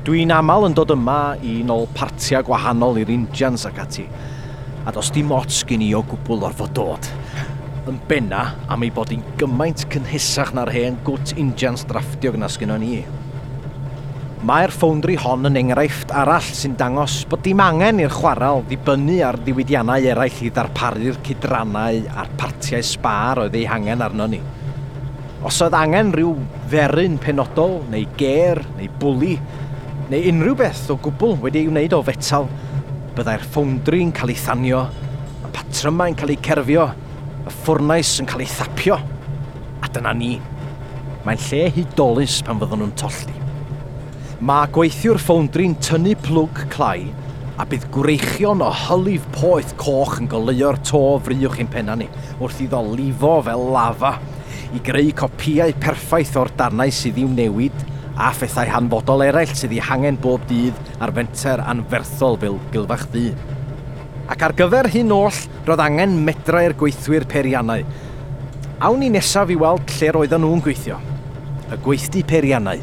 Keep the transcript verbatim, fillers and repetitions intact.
Dwi'n aml yn dod yma i nôl partiau gwahanol i'r injans ac ati, a does dim ots gen i o gwbl orfod dod. Yn benna am ei bod hi'n gymaint cynhesach na'r hen gwt injans drafftiog na sgynnon ni. Mae'r ffowndri hon yn enghraifft arall sy'n dangos bod dim angen i'r chwarel ddibynnu ar ddiwydiannau eraill i ddarparu'r cydrannau a'r partiau sbâr oedd eu hangen arno ni. Os oedd angen rhyw dderyn penodol, neu gêr, neu bwli, neu unrhyw beth o gwbl wedi ei wneud o fetal, byddai'r ffowndri'n cael ei thanio, y patrymau'n cael eu cerfio, y ffwrnais yn cael ei thapio. A dyna ni. Mae'n lle hudolus pan fyddwn nhw'n tollti. Mae gweithiwr ffowndri'n tynnu plwg clai a bydd gwreichion o hylif poeth coch yn goleuo'r to fry uwch ein penna ni wrth iddo lifo fel lafa i greu copïau perffaith o'r darnau sydd i'w newid a phethau hanfodol eraill sydd eu hangen bob dydd ar fenter anferthol fel Gilfach Ddu. Ac ar gyfer hyn oll, roedd angen medrau'r gweithwyr peiriannau. Awn ni nesaf i weld lle roedden nhw'n gweithio. Y gweithdy peiriannau.